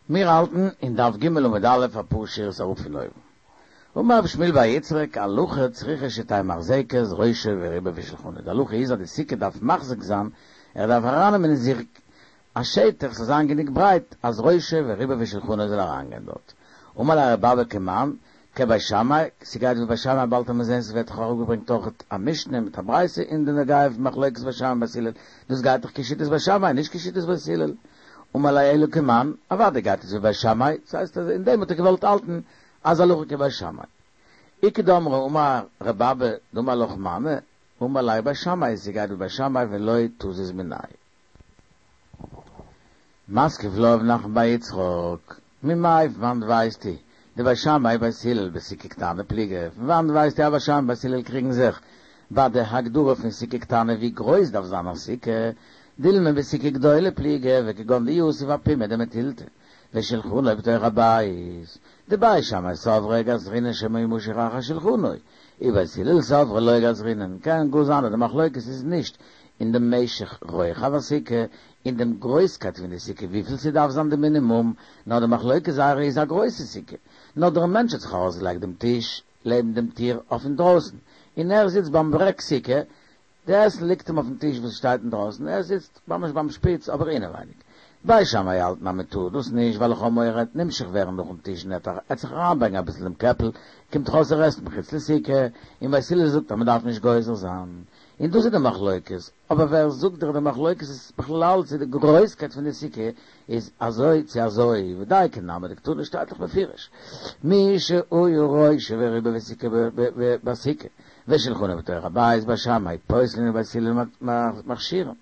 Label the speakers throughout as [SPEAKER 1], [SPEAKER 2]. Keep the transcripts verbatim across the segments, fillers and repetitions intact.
[SPEAKER 1] מיר האלטן אין דף ג' עמוד א' אפאר שורות אראפ פון אויבן. אמר רב שמואל בר יצחק, הלכה צריכה שתהא מחזקת ראשו ורובו ושולחנו. די הלכה איז אז די סוכה דארף מחזיק זיין, ער דארף ארייננעמען אין זיך א שטח ס'זאל זיין גענוג ברייט אז ראשו ורובו ושולחנו זאל אריינגיין דארט. אמר ליה ר' אבא כמאן, כבית שמאי, ס'גייט ווי בית שמאי באלד עמיר זעהן ס'ווערט דאך אראפגעברענגט אויכעט א משנה מיט א ברייתא אין די נוגע פון מחלוקת בית שמאי בית הלל, דאס גייט דאך כשיטת בית שמאי נישט כשיטת בית הלל. אמר ליה אלא כמאן, אוודאי גייט עס ווי בית שמאי, ס'הייסט אז אין דעם האט ער געוואלט האלטן אז הלכה כבית שמאי. איכא דאמרי אמר ר' אבא דאמר לך מני, אמר ליה בית שמאי, ס'גייט ווי בית שמאי ולא תזיז מיניה. מתקיף לה רב נחמן בר יצחק, ממאי פון וואנט ווייסטו דבית שמאי ובית הלל בסוכה קטנה פליגי, פון וואנט ווייסטו אז בית שמאי בית הלל קריגן זיך ביי די הגדרה פון סוכה קטנה ווי גרויס דארף זיין א סוכה, דילמא בסוכה גדולה פליגי וכגון דיתיב אפומא דמתילתא ושלחנו בתוך הבית, דבית שמאי סברי גזרינן שמא ימשך אחר שלחנו, ובית הלל סברי לא גזרינן, קען גאר זיין אז די מחלוקת איז נישט אין דעם משך רוחב הסוכה, אין דעם גרויסקייט פון די סוכה וויפיל ס'דארף זיין די מינימום, נאר די מחלוקת זייערע איז א גרויסע סוכה, נאר דער מענטש האט זיך ארויסגעלייגט דעם טיש לעבן דעם טיר אויף אינדרויסן, און ער זיצט ביים ברעג סוכה, די עסן ליגט אים אויפן טיש וואס שטייט אינדרויסן, ער זיצט ממש ביים שפיץ אבער אינעווייניג. בית שמאי האלטן אז מען טאר דאס נישט ווייל איך האב מורא ער וועט נמשך ווערן נאכן טיש און ער וועט זיך אריינבייגן אביסל דעם קעפל, קומט דאך אויס ער עסט מחוץ לסוכה, און בית הלל זאגט אז מען דארף נישט גוזר זיין. און דאס איז די מחלוקת, אבער ווער זאגט דיך די מחלוקת איז בכלל צו די גרויסקייט פון די סוכה איז אזוי צו אזוי, ודיקא נמי דקתני שטייט דאך בפירוש מי שהיה ראשו ורובו בסוכה בסוכה ושלחנו בתוך הבית בית שמאי פוסלין ובית הלל מכשירין.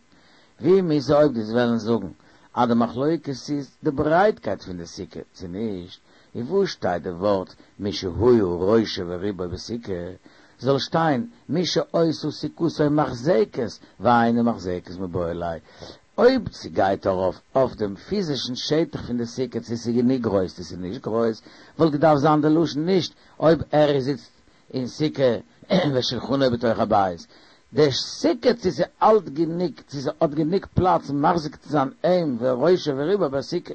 [SPEAKER 1] ווי מוז אויב דו'סט וועלן זאגן אז די מחלוקת איז די ברייטקייט פון די סוכה צו נישט, און וואו שטייט די ווארט מי שהיה ראשו ורובו בסוכה, זאל שטיין מי שהיתה סוכתו מחזקת ואינה מחזקת מיבעי ליה, אויב ס'גייט ארויף אויף דעם פיזישן שטח פון די סוכה צו ס'איז גענוג גרויס צו ס'איז נישט גרויס, וואלט געדארפט זיין די לשון נישט אויב ער זיצט אין סוכה ושולחנו בתוך הבית, די סוכה צו ס'האלט גענוג צו ס'האט גענוג פלאץ מחזיק צו זיין אים וראשו ורובו בסוכה,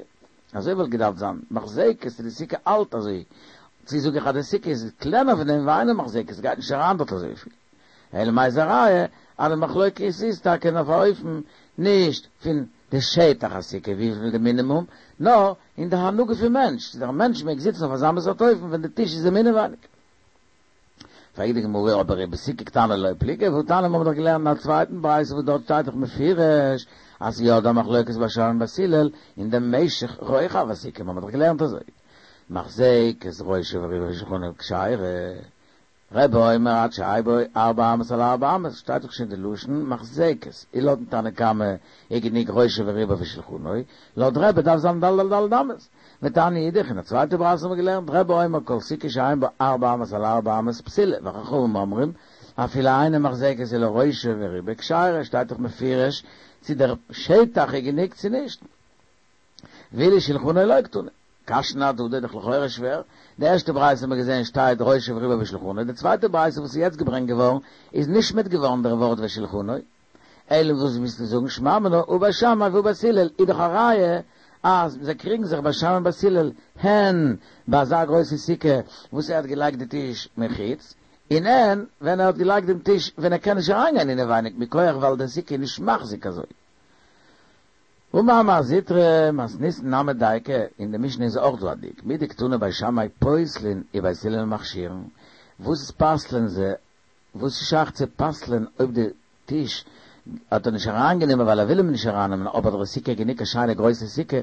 [SPEAKER 1] אזוי וואלט געדארפט זיין מחזקת צו די סוכה האלט אזוי, צו זאג איך אז די סוכה איז קלענער פון דעם ואינה מחזקת ס'גייט נישט אריין דארט אזויפיל, אלא מאי איז א ראיה אז די מחלוקת איז טאקע אויף א אופן נישט פון די שטח הסוכה וויפיל די מינימום, נאר אין די הנהגה פון מענטש, צו דער מענטש מעג זיצן אויף אזא מין סארט אופן ווען די טיש איז אים אינעווייניג. פרעגט די גמרא, אבער ובסוכה קטנה לא פליגי, והתניא מ'האבן דאך געלערנט אין א צווייטן ברייתא וואס דארט שטייט דאך מפורש אז ס'איז יא דא מחלוקת בית שמאי בית הלל אין דעם משך רוחב הסוכה, מ'האבן דאך געלערנט אזוי מחזקת ראשו ורובו ושולחנו כשרה, רבי אומר עד שיהא בה ארבע אמות על ארבע אמות, שטייט דאך שוין די לשון מחזקת, און לויטן תנא קמא איז גענוג ראשו ורובו ושולחנו, לויט רבי דארף זיין ד' על ד' אמות. ותניא אידך, אין א צווייטע ברייתא האבן מיר געלערנט, רבי אומר כל סוכה שאין בה ארבע אמות על ארבע אמות פסולה, וחכמים אומרים אפילו אינה מחזקת אלא ראשו ורובו כשרה, שטייט דאך מפורש צו דער שטח איז גענוג צו נישט. ואילו שולחנו לא קתני. קשיין אהדדי, דאך לכאורה שווער, די ערשטע ברייתא האבן מיר געזען שטייט ראשו ורובו ושולחנו, די צווייטע ברייתא וואס איז יעצט געברענגט געווארן איז נשמט געווארן דער ווארט ושולחנו, אלא וואס ווילסטו זאגן שמע מינה הא בית שמאי והא בית הלל איז דאך א ראיה אז זיי קריגן זיך בית שמאי און בית הלל הן ביי אזא גרויסע סוכה וואס ער האט געלייגט די טיש מחוץ און הן ווען ער האט געלייגט דעם טיש ווען ער קען נישט אריינגיין אינעווייניג מכח ווייל די סוכה איז נישט מחזיק אזוי. אמר מר זוטרא מתניתין נמי דיקא, אין די משנה איז אויך דא א דיוק, מדקתני בית שמאי פוסלין ובית הלל מכשירין, וואס איז פסל'ען זיי, וואס איז שייך צו פסל'ען אויב די טיש האט ער נישט אריינגענומען ווייל ער וויל אים נישט ארייננעמען אבער די סוכה איז גענוג א שיינע גרויסע סוכה,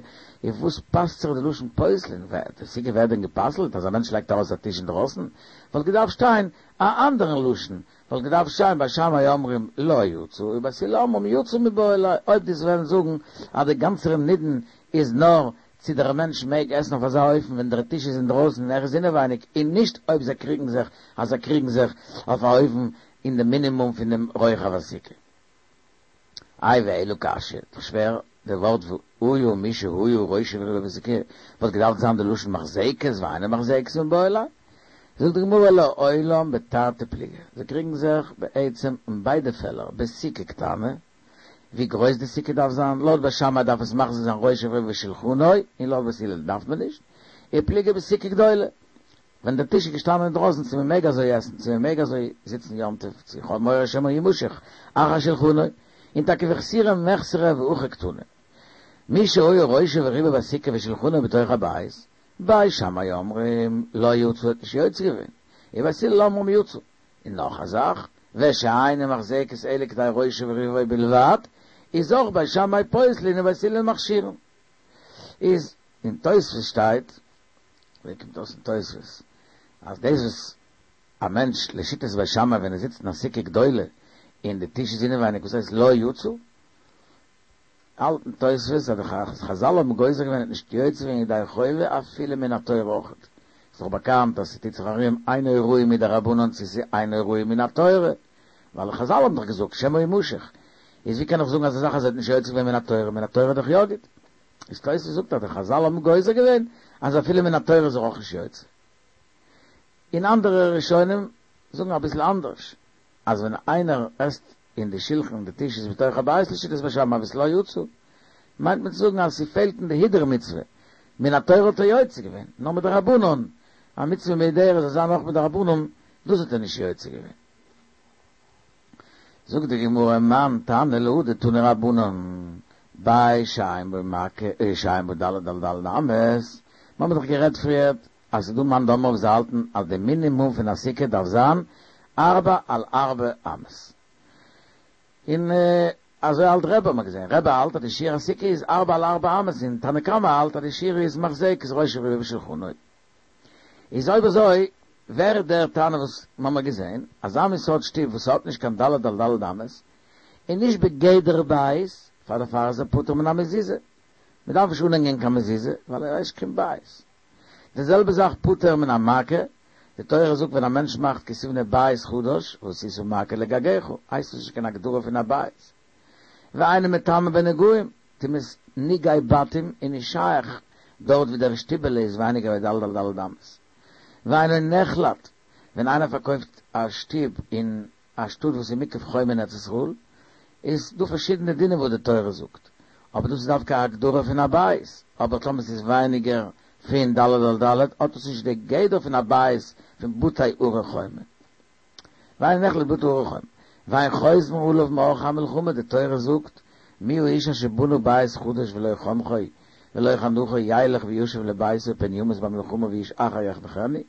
[SPEAKER 1] איז וואס פאסט זיך די לשון פוסלין, די סוכה ווערט דען גע'פסל'ט אז א מענטש לייגט ארויס א טיש אינדרויסן? וואלט געדארפט שטיין א אנדערן לשון, וואלט געדארפט שטיין בית שמאי אומרים לא יצא ובית הלל אומרים יצא מיבעי ליה, אויב דו'סט וועלן זאגן אז די גאנצער נידון איז נאר צו דער מענטש מעג עסן אויף אזא אופן ווען דער טיש איז אינדרויסן און ער איז אינעווייניג און נישט אויב זיי קריגן זיך אז זיי קריגן זיך אויף א אופן אין די מינימום פון דעם רוחב הסוכה. איי ואלא קשיא, דאך שווער די ווארט והיה מי שהיה ראשו ורובו בסוכה וואלט געדארפט זיין די לשון מחזקת ואינה מחזקת מיבעי ליה. זאגט די גמרא לעולם בתרתי פליגי, זיי קריגן זיך בעצם אין ביידע פעלער בסוכה קטנה, ווי גרויס די סוכה דארף זיין, לויט בית שמאי דארף עס מחזיק זיין ראשו ורובו ושולחנו, און לויט בית הלל דארף מען נישט, ופליגי בסוכה גדולה, ווען דער טיש איז געשטאנען אינדרויסן צו מען מעג אזוי עסן, צו מען מעג אזוי זיצן יום טוב, צו איך האב מורא שמא ימשך אחר שלחנו, און טאקע וחסורי מחסרא והכי קתני. מי שהיה ראשו ורובו בסוכה ושולחנו בתוך הבית, בית שמאי אומרים לא יצא האט נישט יוצא געווען, און בית הלל אומרים יצא. און נאך א זאך, ושאינה מחזקת אלא כדי ראשו ורובו בלבד, איז אויך בית שמאי פוסלין און בית הלל מכשירין. איז אין תוספות שטייט, ווי קומט אויס אין תוספות אז דאס וואס א מענטש לשיטת בית שמאי ווען ער זיצט אין א סוכה גדולה און די טיש איז אינעווייניג וואס הייסט לא יצא? האלטן תוספות אז די חזל האבן גוזר געווען נישט יוצא געווען ידי חובה אפילו מן התורה אויכעט. איז דאך באקאנט אז ס'טוט זיך ארום אינו ראוי מדרבנן צו ס'איז אינו ראוי מן התורה, ווייל חזל האבן דאך געזאגט שמא ימשך. איז ווי קען איך זאגן אזא זאך אז ער האט נישט יוצא געווען מן התורה, מן התורה איז דאך יא גוט. איז תוספות זאגט אז די חזל האבן גוזר געווען אז אפילו מן התורה איז ער אויך נישט יוצא. און אנדערע ראשונים זאגן אביסל אנדערש, אז ווען איינער עסט אין די שולחן די טיש איז בתוך הבית לשיטת בית שמאי וואס לא יצא, מיינט מען צו זאגן אז ס'פעלט אין די הידור מצוה, מן התורה האט ער יוצא געווען, נאר מדרבנן, א מצוה מהודרת זאל זיין אויך מדרבנן, דאס האט ער נישט יוצא געווען. זאגט די גמרא מאן תנא להא דתנו רבנן, בית שאין בו מעקה שאין בו ד' על ד' אמות, מ'האמיר דאך גערעדט פריערט אז ס'דא מאן דאמר וואס האלטן אז די מינימום פון א סוכה דארף זיין ארבע על ארבע אמות. און אזוי האלט רבי האט מען געזען, רבי האלט אז די שיעור הסוכה איז ארבע על ארבע אמות און תנא קמא האלט אז די שיעור איז מחזקת ראשו ורובו ושולחנו. איז אויב אזוי ווער איז דער תנא וואס מ'האמיר געזען, אזא מין סארט שטוב וואס האט נישט קיין ד' על ד' אמות, און נישט בגדר בית, פאר דערפאר איז ער פטור מן המזוזה. מ'דארף נישט אנהענגען קיין מזוזה, ווייל ער הייסט קיין בית. די זעלבע זאך פטור מן המעקה, די תורה זאגט ווען א מענטש מאכט כי תבנה בית חדש, ועשית מעקה לגגך, הייסט עס נישט קיין הגדרה פון א בית. ואינו מטמא בנגעים, טומאת נגעי בתים איז נישט שייך דארט ווי דער שטיבעלע איז ווייניגער ווי ד' על ד' אמות. ואינו נחלט, ווען איינער פארקויפט א שטוב אין א שטאט וואס איז מוקף חומה אין ארץ ישראל, איז דא פארשידענע דינים וואס די תורה זאגט, אבער דאס איז דווקא א הגדרה פון א בית, אבער טאמער ס'איז ווייניגער פון ד' על ד' האט עס נישט די גדר פון א בית פון בתי ערי חומה. ואינו נחלט בבתי ערי חומה. ואין חותמין עליו מעורכי המלחמה, די תורה זאגט, מי האיש אשר בנה בית חדש ולא חנכו ולא חנכו ילך וישוב לביתו פן ימות במלחמה ואיש אחר יחנכנו.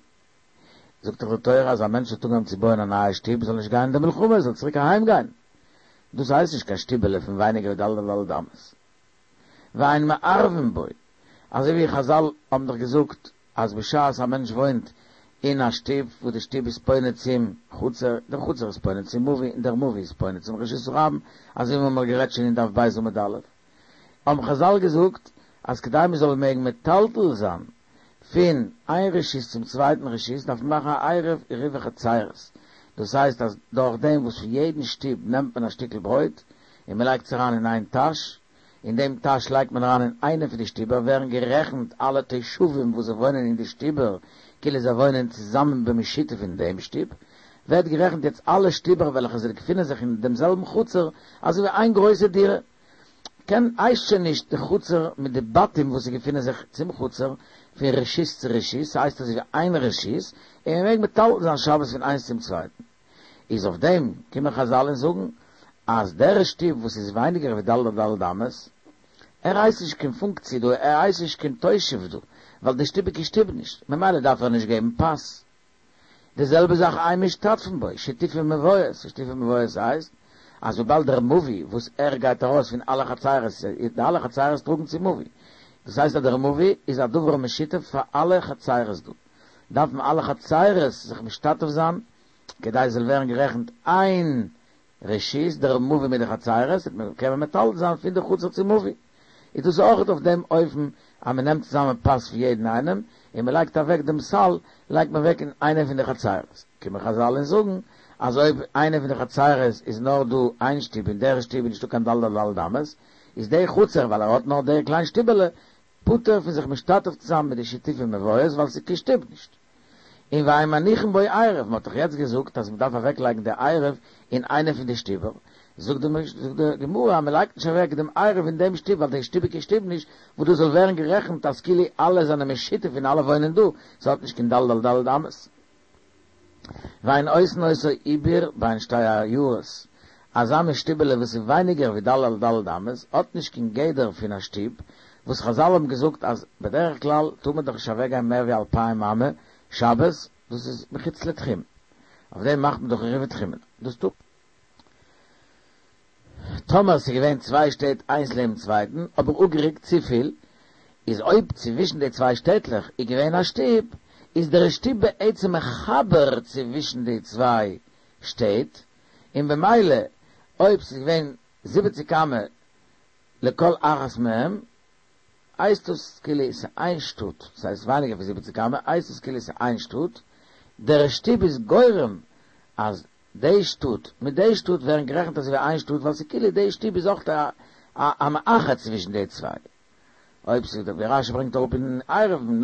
[SPEAKER 1] זאגט דאך די תורה אז א מענטש האט אנגעהויבן צו בויען א נייע שטוב זאל נישט גיין אין די מלחמה, זאל צוריק אהיים גיין. דאס הייסט נישט קיין שטיבעלע פון ווייניגער ווי ד' על ד' אמות. ואין מערבין בו, אזוי ווי חזל האבן דאך געזאגט אז בשעת א מענטש וואוינט אין א שטוב וואס די שטוב איז פונה צום חצר, דער חצר איז פונה צום מבוי און דער מבוי איז פונה צום רשות הרבים, אזוי ווי מ'האמיר גערעדט שוין אין דף ב' עמוד א', האבן חזל געזאגט אז כדי מ'זאל מעגן מטלטל זיין פון איין רשות צום צווייטן רשות דארף מען מאכן א עירוב עירובי חצירות, דאס הייסט אז דורך דעם וואס פון יעדן שטוב נעמט מען א שטיקל ברויט און מ'לייגט עס אריין אין איין טאש, אין דעם טאש לייגט מען אריין אין איינע פון די שטיבער, ווערן גערעכנט אלע תושבים וואס זיי וואוינען אין די שטיבער כאילו זיי וואוינען צוזאמען במשותף אין דעם שטוב, ווערט גערעכנט יעצט אלע שטיבער וועלכע זיי געפינען זיך אין דעם זעלבן חצר אזוי ווי איין גרויסע דירה. קען הייסט שוין נישט די חצר מיט די בתים וואס זיי געפינען זיך צום חצר פון רשות צו רשות, ס'הייסט אזוי ווי איין רשות, און מ'מעג מטלטל זיין שבת פון איינס צום צווייטן. איז אויף דעם קומען חזל און זאגן אז דער שטוב וואס איז ווייניגער ווי ד' על ד' אמות, ער הייסט נישט קיין פונקציע דא, ער הייסט נישט קיין תושב דא, ווייל די שטוב איז קיין שטוב נישט, ממילא דארף ער נישט געבן פת. די זעלבע זאך אין משתתפין בו, שיתופי מבואות, שיתופי מבואות הייסט, אז וויבאלד דער מבוי וואס ער גייט ארויס פון אלע חצרות, די אלע חצרות טראגן צום מבוי, דאס הייסט אז דער מבוי איז א דבר משותף פאר אלע חצרות דא, דארפן אלע חצרות זיך משתתף זיין, כדי עס זאל ווערן גערעכנט איין רשות, דער מבוי מיט די חצרות, קען מען מטלטל זיין פון די חצר צום מבוי. איז דאס אויך אויף דעם אופן אז מען נעמט צוזאמען פת פון יעדן איינעם, און מען לייגט אוועק דעם סל, לייגט מען אוועק אין איינע פון די חצרות. קומען חזל און זאגן, אז אויב איינע פון די חצרות איז נאר דא איין שטוב אין דער שטוב איז נישטא קיין ד' על ד' אמות, איז דער חצר, ווייל ער האט נאר דער קליין שטיבעלע, פטור פון זיך משתתף צו זיין מיט די שיתופי מבואות ווייל ס'איז קיין שטוב נישט. און ואין מניחין בו עירוב, מ'האט דאך יעצט געזאגט אז מ'דארף אוועקלייגן די עירוב אין איינע פון די שטיבער, זאגט די גמרא, מען לייגט נישט אוועק דעם עירוב אין דעם שטוב, ווייל דער שטוב איז קיין שטוב נישט, וואו דאס זאל ווערן גערעכנט אז כאילו אלע זענען משותף און אלע וואוינען דא, ס'האט נישט קיין ד' על ד' אמות. ואין עושין אותו עיבור בין שתי עיירות, אזא מין שטיבעלע וואס איז ווייניגער ווי ד' על ד' אמות, האט נישט קיין גדר פון א שטוב, וואס חזל האבן געזאגט אז בדרך כלל טאר מען דאך נישט אוועקגיין מער ווי אלפיים אמה שבת, דאס איז מחוץ לתחום, אויף דעם מאכט מען דאך עירובי תחומין, דאס טאר. טאמער ס'איז געווען צוויי שטעט איינס לעבן צווייטן, אבער אפגערוקט צופיל, איז אויב צווישן די צוויי שטעטלעך איז געווען א שטוב, איז דער שטוב בעצם מחבר צווישן די צוויי שטעט, און במילא אויב ס'איז געווען זיבעציק אמה לכל אחת מהם, הייסט עס כאילו ס'איז איין שטאט, ס'הייסט ווייניגער פון זיבעציק אמה, הייסט עס כאילו ס'איז איין שטאט, דער שטוב איז גורם אז די שטאט מיט די שטאט ווערן גערעכנט אזוי ווי איין שטאט, ווייל ס'איז כאילו די שטוב איז אויך א מאחד צווישן די צוויי. אויב ס'איז ווי רשי ברענגט אראפ אין עירובין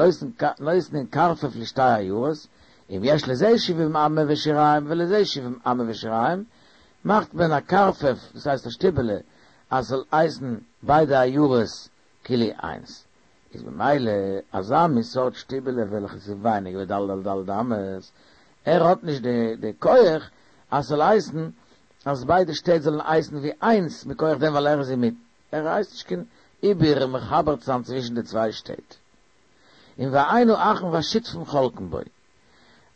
[SPEAKER 1] נותנין קרפף לשתי עיירות, אם יש לזה שבעים אמה ושיריים ולזה שבעים אמה ושיריים, מאכט מען א קרפף, דאס הייסט א שטיבעלע, אז ס'זאל הייסן ביידע עיירות כאילו איינס. איז במילא אזא מין סארט שטיבעלע וועלכע איז ווייניגער ווי ד' על ד' אמות, ער האט נישט די כח אז ס'זאל הייסן אז ביידע שטעט זאלן הייסן ווי איינס מכח דעם ווייל ער איז אינמיטן, ער הייסט נישט קיין עיבור מחבר צו זיין צווישן די צוויי שטעט. און ואין האחין והשותפים חולקין בו.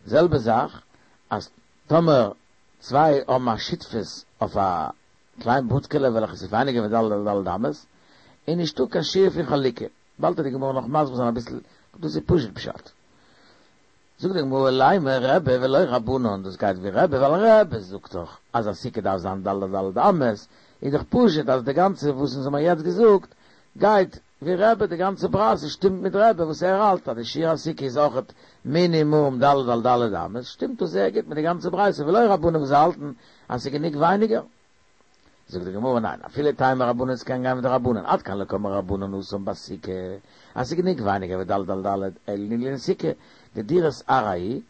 [SPEAKER 1] זעלבע זאך אז טאמער צוויי האבן א שותפות אויף א קליין בודקעלע וועלכעס איז ווייניגער ווי ד' על ד' אמות, איז נישטא קיין שיעור פון חלוקה. באלד וועט די גמרא נאך מסביר זיין אביסל, דאס איז פשוט פשט. זאגט די גמרא לימא רבי ולא רבנן, דאס גייט ווי רבי, ווייל רבי זאגט דאך אז א סוכה דארף זיין ד' על ד' אמות, איז דאך פשוט אז די גאנצע וואס אונז האמיר יעצט געזאגט גייט ווי רבי, די גאנצע ברייתא שטימט מיט רבי וואס ער האלט אז די שיעור הסוכה איז אויכעט מינימום ד' על ד' אמות, שטימט דאס זייער גוט מיט די גאנצע ברייתא, ולא רבנן וואס זיי האלטן אז ס'איז גענוג ווייניגער. זאגט די גמרא ניין, אפילו תימא רבנן ס'קען גיין מיט די רבנן, עד כאן לא קאמרי רבנן התם בסוכה, אז ס'איז גענוג ווייניגער ווי ד' על ד', אלא לענין סוכה, דדירת עראי היא,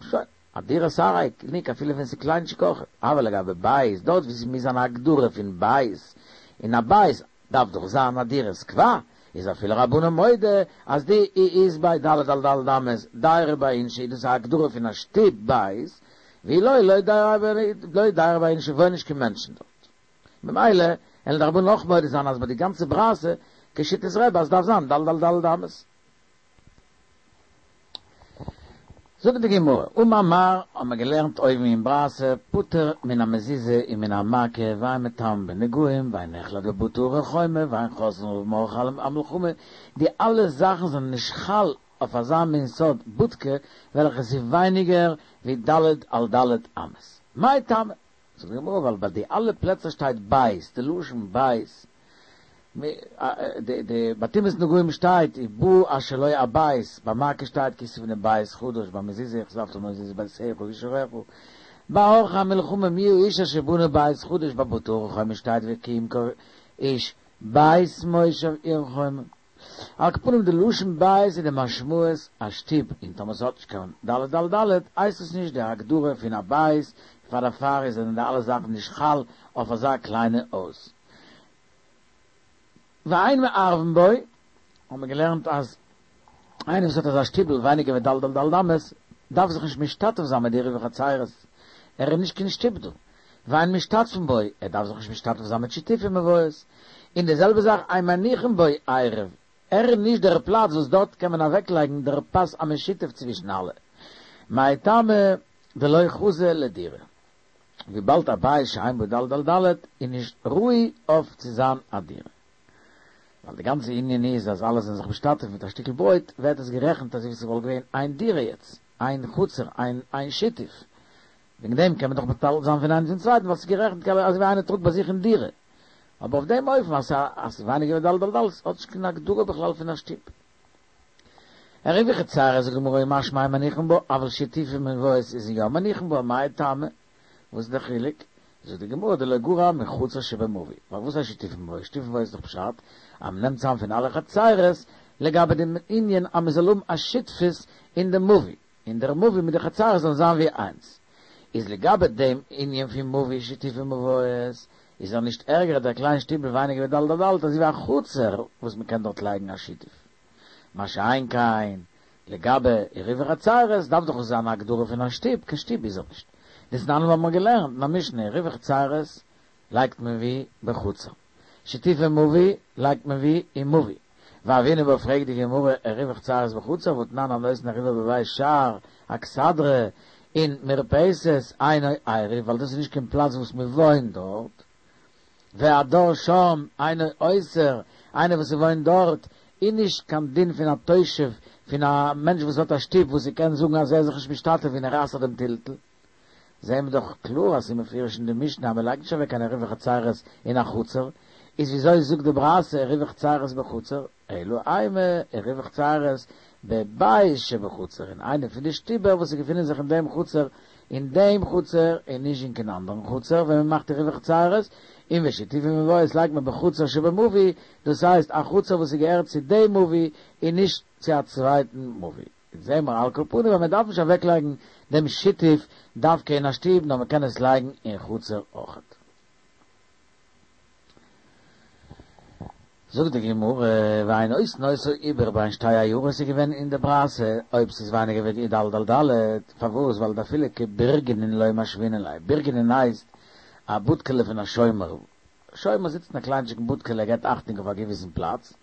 [SPEAKER 1] שוין, א דירת עראי גענוג אפילו ווען ס'איז קליינטשיג אויך, אבער לגבי בית, דארט ווי ס'מוז זיין א הגדרה פון בית, און א בית דארף דאך זיין א דירת קבע, איז אפילו רבנן מודה אז דאי אית ביה ד' על ד' אמות דיירי ביה אינשי איז דאס א הגדרה פון א שטוב בית, ואי לא לא דיירי ביה אינשי וואוינען נישט קיין מענטשן דארט. ממילא וועלן די רבנן אויך מודה זיין אז ביי די גאנצע ברייתא כשיטת רבי אז ס'דארף זיין ד' על ד' אמות. זאגט די גמרא, אמר מר, האט מען געלערנט אויבן אין ברייתא, פטור מן המזוזה און מן המעקה, ואין מטמאין בנגעים, ואין נחלט בבתי ערי חומה, ואין חוזרין עליו מעורכי המלחמה, די אלע זאכן זענען נישט חל אויף אזא מין סארט בודקע וועלכע איז ווייניגער ווי ד' על ד' אמות. מאי טעמא? זאגט די גמרא ווייל ביי די אלע פלעצער שטייט בית, די לשון בית, די די ביי טומאת נגעים שטייט ובא אשר לו הבית, ביי מעקה שטייט כי תבנה בית חדש, ביי מזוזה וכתבת במזוזות ביתך ובשעריך, ביי עורכי המלחמה מי האיש אשר בנה בית חדש, ביי בתי ערי חומה שטייט וכי ימכור איש בית מושב עיר חומה. על כל פנים די לשון בית איז די משמעות א שטוב, און טאמער ס'האט נישט קיין ד' על ד' הייסט עס נישט די הגדרה פון א בית, פאר דערפאר איז זענען די אלע זאכן נישט חל אויף אזא קליינע הויז. ואין מערבין בו, האט מען געלערנט אז איינער וואס האט אזא שטיבל ווייניגער ווי ד' על ד' אמות דארף זיך נישט משתתף זיין מיט די עירובי חצירות, ער איז נישט קיין שטוב דא. ואין משתתפין בו, ער דארף זיך נישט משתתף זיין מיט שיתופי מבואות. און די זעלבע זאך אין מניחין בו עירוב, ער איז נישט דער פלאץ וואס דארט קען מען אוועקלייגן דער פת המשותף צווישן אלע. מאי טעמא דלא חזי לדירה. וויבאלד א בית שאין בו ד' על ד' איז נישט ראוי אויף צו זיין א דירה. ווייל די גאנצע ענין איז אז אלע זענען זיך משתתף מיט א שטיקל ברויט, ווערט עס גערעכנט אזוי ווי ס'וואלט געווען איין דירה יעצט, איין חצר, איין שיתוף. וועגן דעם קען מען דאך מטלטל זיין פון איינעם צום צווייטן ווייל ס'איז גערעכנט אזוי ווי איינער טראגט ביי זיך אין דירה. אבער אויף דעם אופן אז ס'איז ווייניגער ווי ד' על ד' האט נישט קיין הגדרה בכלל פון א שטוב. עירובי חצירות זאגט די גמרא משמע אין מניחין בו, אבל שיתופי מבואות איז יא מניחין בו, מאי טעמא? וואס איז דער חילוק? זאגט די גמרא דלא גרע מחצר שבמבוי, ווייל וואס הייסט שיתופי מבואות? שיתופי מבואות איז דאך פשט אז מ'נעמט צאם פון אלע חצירות לגבי דעם ענין אז מ'זאל האבן א שותפות אין דעם מבוי, און דער מבוי מיט די חצרות זאלן זיין ווי איינס, איז לגבי דעם ענין פון מבוי שיתופי מבואות, איז ער נישט ערגער דער קליין שטיבל ווייניגער ווי ד' על ד', אזוי ווי א חצר וואס מען קען דארט לייגן א שיתוף. מה שאין כן, לגבי עירובי חצירות דארף דאך עס זיין א הגדרה פון א שטוב, קיין שטוב איז ער נישט. דתנן האבן מיר געלערנט אין א משנה, עירובי חצירות לייגט מען ווי בחצר. שיתופי מבוי לייגט מען ווי אין מבוי. והוינן בה פרעגט די גמרא עירובי חצירות בחצר והתנן הנותן עירובו בבית שער אכסדרה אין מרפסת אינו עירוב ווייל דאס איז נישט קיין פלאץ וואס מען וואוינט דארט והדר שם אינו אוסר איינער וואס וואוינט דארט איז נישט קיין דין פון א תושב פון א מענטש וואס האט א שטוב וואס ער קען זאגן אז ער איז זיך נישט משתתף און ער אסר'ט דעם טלטול. זעהן מיר דאך קלאר אז ס'איז מפורש אין די משנה אז מ'לייגט נישט אוועק קיין עירובי חצירות אין א חצר, איז וויאזוי זאגט די ברייתא עירובי חצירות בחצר, אלא אימא עירובי חצירות בבית שבחצר, אין איינע פון די שטיבער וואס געפינען זיך אין דעם חצר, אין דעם חצר און נישט אין קיין אנדערן חצר ווען מ'מאכט עירובי חצירות, און ושיתופי מבואות לייגט מען בחצר שבמבוי, דאס הייסט א חצר וואס איז געהערט צו דעם מבוי און נישט צו א צווייטן מבוי. זעהן מיר על כל פנים אז מען דארף נישט אוועקלייגן דעם שיתוף דווקא אין א שטוב נאר מען קען עס לייגן אין חצר אויכעט. זאגט די גמרא, ואין עושין אותו עיבור בין שתי עיירות איז געווען אין די ברייתא אויב ס'איז ווייניגער ווי ד' על ד', פארוואס ווייל דאפילו כבורגנין לא משוינן ליה, בורגנין הייסט א בודקעלע פון א שומר, שומר זיצט אין א קליינטשיגן בודקעלע ער געבט אכטונג אויף א געוויסן פלאץ,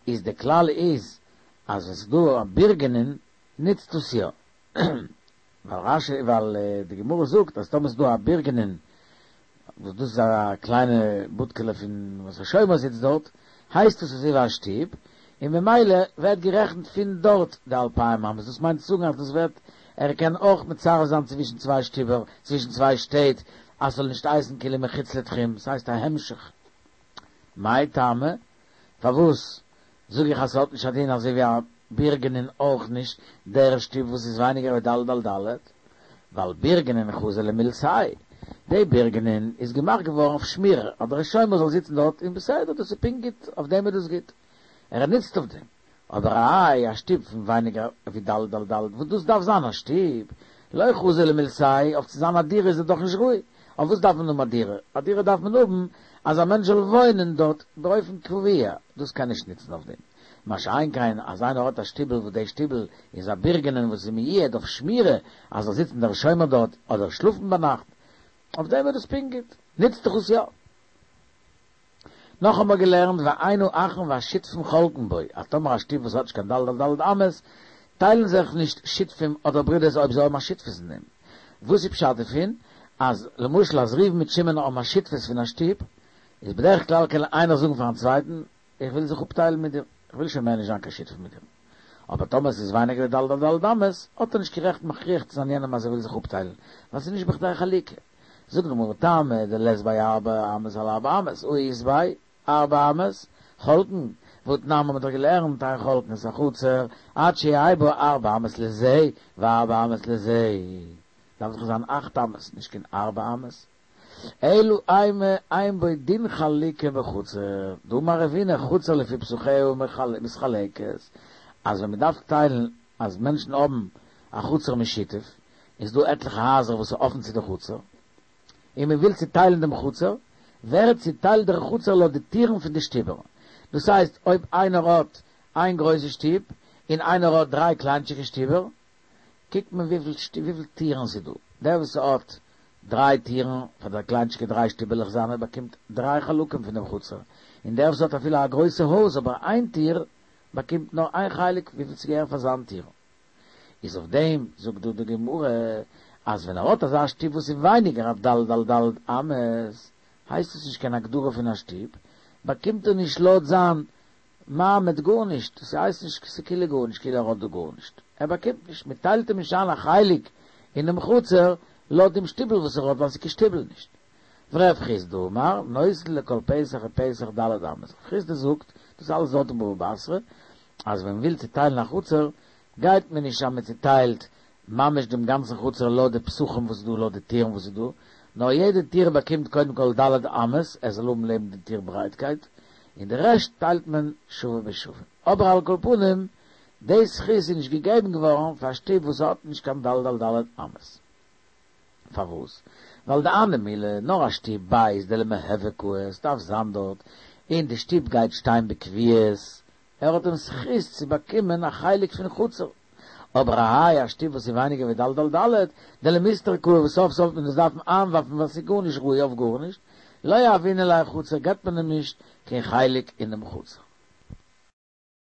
[SPEAKER 1] איז די כלל איז אז ווען ס'איז דא א בורגנין נוצט דאס יא, ווייל רש"י ווייל די גמרא זאגט אז טאמער ס'איז דא א בורגנין וואס דאס איז א קליינע בודקעלע פון וואס א שומר זיצט דארט, הייסט עס אזוי ווי א שטוב, און ממילא ווערט גערעכנט פון דארט די אלפיים אמות, דאס מיינט צו זאגן אז דאס ווערט, ער קען אויך מצרף זיין צווישן צוויי שטובער, צווישן צוויי שטעט, אז ס'זאל נישט הייסן כאילו מחוץ לתחום, ס'הייסט א המשך. מאי טעמא? פארוואס זאג איך אז ס'האט נישט א דין אזוי ווי א בורגנין אויך נישט דער שטוב וואס איז ווייניגער ווי ד' על ד'? ווייל בורגנין חזי למילתיה, די בורגנין איז געמאכט געווארן אויף שמירה אז דער שומר זאל זיצן דארט און בסדר דאס איז פונקט גוט אויף דעם איז דאס גוט ער נוצט אויף דעם, אבער איי א שטוב פון ווייניגער ווי ד' על ד' וואס דאס דארף זיין א שטוב לא חזי למילתיה אויף צו זיין א דירה איז ער דאך נישט ראוי, אויף וואס דארף מען האבן א דירה? א דירה דארף מען האבן אז א מענטש זאל וואוינען דארט באופן קבוע, דאס קען נישט נוצן אויף דעם. מה שאין כן אז איינער האט א שטיבל וואס די שטיבל איז א בורגנין וואס איז מיועד אויף שמירה אז זאל זיצן דער שומר דארט אדער שלאפן ביינאכט, אויף דעם איז דאס פונקט גוט, נוצט דאך עס יא. נאך האבן מיר געלערנט ואין האחין והשותפין חולקין בו, אז טאמער א שטוב וואס האט נישט קיין ד' על ד' אמות, טיילן זיך נישט שותפים אדער ברודערס אויב זיי האבן א שותפות אין דעם. וואס איז פשט דערפון? אז למשל אז ראובן מיט שמעון האבן א שותפות פון א שטוב, איז בדרך כלל קען איינער זאגן פארן צווייטן, איך וויל זיך אפטיילן מיט דיר, איך וויל שוין מער נישט זיין קיין שותף מיט דיר. אבער טאמער עס איז ווייניגער ווי ד' על ד' אמות, האט ער נישט קיין רעכט מכריח צו זיין יענעם אז ער וויל זיך אפטיילן, ווייל ס'איז נישט בכדי חלוקה. זאגט די גמרא טעמא דלית ביה ארבע אמות על ארבע אמות, הא אית ביה ארבע אמות, חולקין, והתנן האבן מיר דאך געלערנט אין חולקין את החצר עד שיהא בה ארבע אמות לזה וארבע אמות לזה, דארף דאך זיין אכט אמות, נישט קיין ארבע אמות. אלא אימא אין בו דין חלוקה בחצר, דאמר רבינא חצר לפי פתחיה מתחלקת, אז ווען מען דארף טיילן אז מענטשן האבן א חצר משותף, איז דא עטליכע הייזער וואס איז אפן צו די חצר, און מען וויל צוטיילן דעם חצר, ווערט צוטיילט דער חצר לויט די טירן פון די שטיבער, דאס הייסט אויב איינער האט איין גרויסע שטוב און איינער האט דריי קליינטשיגע שטיבער, קוקט מען וויפיל טירן ס'איז דא, דער וואס האט דריי טירן פאר די קליינטשיגע דריי שטיבעלעך זיינע באקומט דריי חלקים פון דעם חצר, און דער וואס האט אפילו א גרויסע הויז אבער איין טיר באקומט נאר איין חלק וויפיל ס'געהער פאר זיין טיר. איז אויף דעם זאגט דא די גמרא אז ווען ער האט אזא שטוב וואס איז ווייניגער אויף ד' על ד' אמות הייסט עס נישט קיין הגדרה פון א שטוב, באקומט ער נישט לויט זיין מעמד גארנישט, ס'הייסט נישט ס'כאילו גארנישט כאילו ער האט דא גארנישט, ער באקומט נישט, מ'טיילט אים נישט איין א חלק אינעם חצר לויט דעם שטיבל וואס ער האט ווייל ס'איז קיין שטיבל נישט. ורב חסדא אמר, נותן לכל פתח ופתח ד' אמות, רב חסדא זאגט, דאס אלעס דארט אין בבא בתרא, אז ווען מ'וויל צוטיילן א חצר, גייט מען נישט אז מ'צוטיילט ממש דעם גאנצן חצר לויט די פתחים וואס איז דא, לויט די טירן וואס איז דא, נאר יעדע טיר באקומט קודם כל ד' אמות, ער זאל האבן לעבן די טיר ברייטקייט, און די רעשט טיילט מען שווה בשווה. אבער על כל פנים, די זכות איז נישט געגעבן געווארן פאר א שטוב וואס האט נישט קיין ד' על ד' אמות. פארוואס? ווייל דהני מילי, נאר א שטוב בית דלמהוי קאי, עס דארף זיין דארט, און די שטוב גייט שטיין בקביעות, ער האט דעם זכות צו באקומען א חלק פון חצר. אבער האי א שטוב וואס איז ווייניגער ווי ד' על ד', דלמיסתר קאי וואס סוף סוף וועט מען עס דארפן איינווארפן ווייל ס'איז גארנישט ראוי אויף גארנישט, לא יהבינן ליה חצר געבט מען אים נישט קיין חלק אינעם חצר.